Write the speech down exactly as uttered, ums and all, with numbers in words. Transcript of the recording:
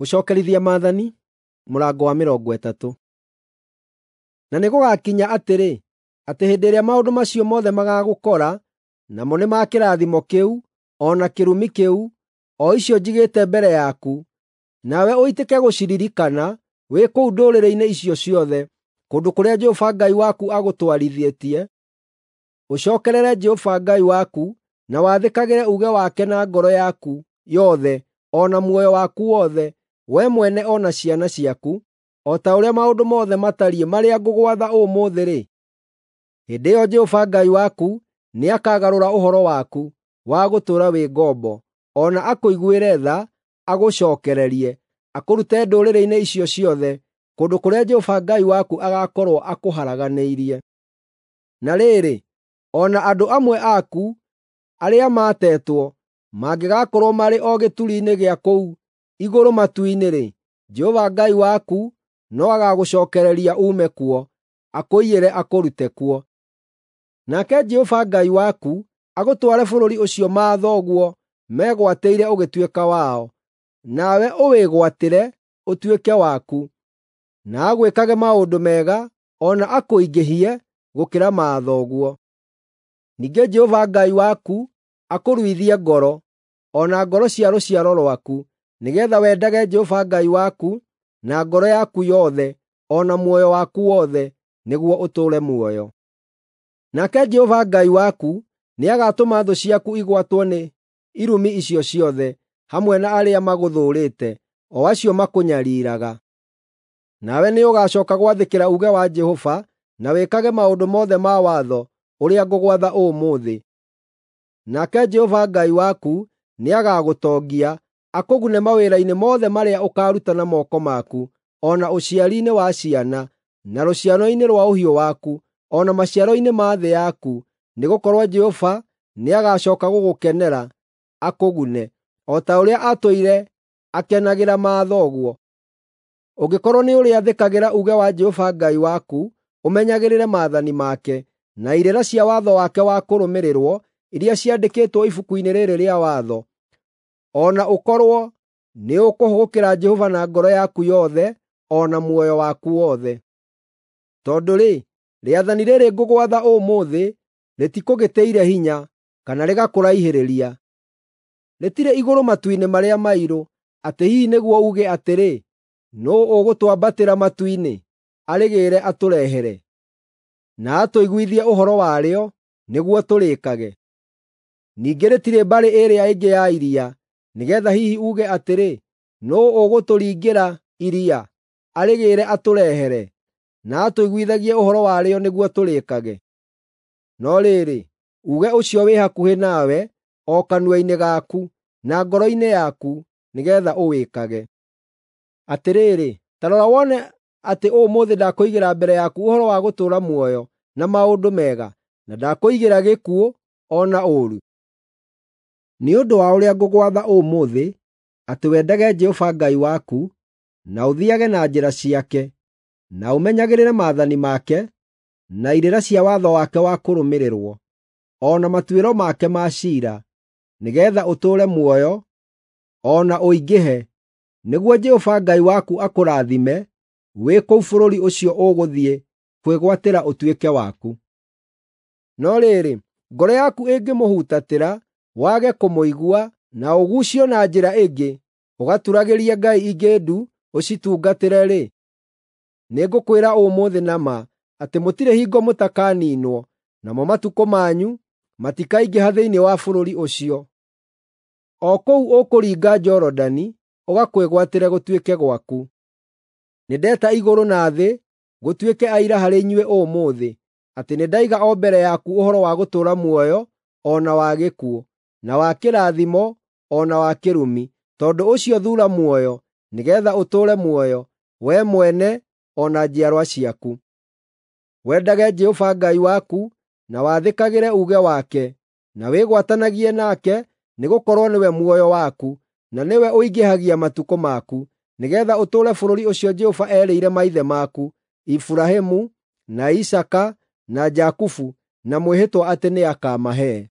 Gũcookerithia Maathani mũrango wa mĩrongo ĩtatũ. Na nĩgũgakinya atĩrĩ, atĩ hĩndĩ ĩrĩa maũndũ macio mothe magaagũkora, namo nĩ ma kĩrathimo kĩu, o na kĩrumi kĩu, o icio njigĩte mbere yaku, nawe ũitĩke gũciririkana wĩ kũu ndũrĩrĩ-inĩ icio ciothe, kũndũ kũrĩa Jehova Ngai waku agũtwarithĩtie, ũcookerere Jehova Ngai waku na wathĩkagĩre uuge wake na ngoro yaku yothe o na muoyo waku wothe, we mwene o na ciana ciaku, o ta ũrĩa maũndũ mothe matariĩ marĩa ngũgwatha ũmũthĩ-rĩ, hĩndĩ ĩyo Jehova Ngai waku nĩakagarũra ũhoro waku wa gũtũũra wĩ ngombo, o na akũiguĩre tha, agũcookererie, akũrute ndũrĩrĩ-inĩ icio ciothe, kũndũ kũrĩa Jehova Ngai waku agaakorwo akũharaganĩirie. Na rĩrĩ, o na andũ amwe aku arĩa maatetwo mangĩgakorwo marĩ o gĩturi-inĩ gĩa kũu igũrũ matu-inĩ-rĩ, Jehova Ngai waku no agagũcookereria uume kuo, akũiyĩre akũrute kuo. Nake Jehova Ngai waku agũtware bũrũri ũcio maathoguo megwatĩire ũgĩtuĩka wao, nawe ũwĩgwatĩre ũtuĩke waku, na agwĩkage maũndũ mega o na akũingĩhie gũkĩra maathoguo. Ningĩ Jehova Ngai waku akũruithie ngoro, o na ngoro cia rũciaro rwaku, nĩgeetha wendage Jehova Ngai waku na ngoro yaku yothe o na muoyo waku wothe, nĩguo ũtũũre muoyo. Nake Jehova Ngai waku nĩagatũma thũ ciaku igwatwo nĩ irumi icio ciothe, hamwe na arĩa magũthũũrĩte, o acio makũnyariiraga. Nawe nĩũgacooka gwathĩkĩra uuge wa Jehova na wĩkage maũndũ mothe ma watho ũrĩa ngũgwatha ũmũthĩ. Nake Jehova Ngai waku nĩagagũtongia, akũgune mawĩra-inĩ mothe marĩa ũkaaruta na moko maku, o na ũciari-inĩ wa ciana, na rũciaro-inĩ rwa ũhiũ waku, o na maciaro-inĩ ma thĩ yaku, nĩgũkorwo Jehova nĩagacooka gũgũkenera, akũgune, o ta ũrĩa aatũire akenagĩra maathoguo. Ũngĩkorwo nĩũrĩathĩkagĩra uuge wa Jehova Ngai waku, ũmenyagĩrĩre maathani make, na irĩra cia watho wake wa kũrũmĩrĩrwo iria ciandĩkĩtwo ibuku-inĩ rĩĩrĩ rĩa watho, o na ũkorwo nĩũkũhũgũkĩra Jehova na ngoro yaku yothe o na muoyo waku wothe. Tondũ-rĩ, rĩathani rĩĩrĩ ngũgwatha ũmũthĩ rĩtikũgĩtĩire hinya, kana rĩgakũraihĩrĩria. Rĩtirĩ igũrũ matu-inĩ marĩa mairũ, atĩ hihi nĩguo uuge atĩrĩ, “Nũũ ũgũtwambatĩra matu-inĩ, arĩgĩĩre atũrehere, na atũiguithie ũhoro warĩo, nĩguo tũrĩĩkage?” Ningĩ rĩtirĩ mbarĩ ĩrĩa ĩngĩ ya iria, nĩgeetha hihi uuge atĩrĩ, “Nũũ ũgũtũringĩra iria, arĩgĩĩre atũrehere, na atũiguithagie ũhoro warĩo nĩguo tũrĩĩkage?” No rĩrĩ, uuge ũcio wĩ hakuhĩ nawe, o kanua-inĩ gaku, na ngoro-inĩ yaku, nĩgeetha ũwĩkage. Atĩrĩrĩ, ta rora wone atĩ ũmũthĩ ndakũigĩra mbere yaku ũhoro wa gũtũũra muoyo na maũndũ mega, na ndakũigĩra gĩkuũ o na ũũru. Nĩ ũndũ wa ũrĩa ngũgwatha ũmũthĩ, atĩ wendage Jehova Ngai waku, na ũthiiage na njĩra ciake, na ũmenyagĩrĩre maathani make, na irĩra cia watho wake wa kũrũmĩrĩrwo, o na matuĩro make ma ciira, nĩgeetha ũtũũre muoyo o na ũingĩhe, nĩguo Jehova Ngai waku akũrathime wĩ kũu bũrũri ũcio ũgũthiĩ kwĩgwatĩra ũtuĩke waku. No rĩrĩ, ngoro yaku ĩngĩmũhutatĩra, wage kũmũigua, na ũguucio na njĩra ĩngĩ, ũgaturagĩrie ngai ingĩ ndu ũcitungatĩre-rĩ, nĩngũkwĩra ũmũthĩ na ma atĩ mũtirĩ hingo mũtakaniinwo, namo matukũ manyu matikaingĩha thĩinĩ wa bũrũri ũcio, o kũu ũkũringa Jorodani ũgakwĩgwatĩre gũtuĩke gwaku. Nĩndeta igũrũ na thĩ gũtuĩke aira harĩ inyuĩ ũmũthĩ, atĩ nĩndaiga o mbere yaku ũhoro wa gũtũũra muoyo o na wa gĩkuũ, na wa kĩrathimo o na wa kĩrumi. Tondũ ũcio thuura muoyo, nĩgeetha ũtũũre muoyo, wee mwene o na njiarwa ciaku. Wendage Jehova Ngai waku na wathĩkagĩre uuge wake, na wĩgwatanagie nake, nĩgũkorwo nĩwe muoyo waku, na nĩwe ũingĩhagia matukũ maku, nĩgeetha ũtũũre bũrũri ũcio Jehova eerĩire maithe maku, Iburahĩmu, na Isaaka, na Jakubu, na mwĩhĩtwa atĩ nĩakamahe.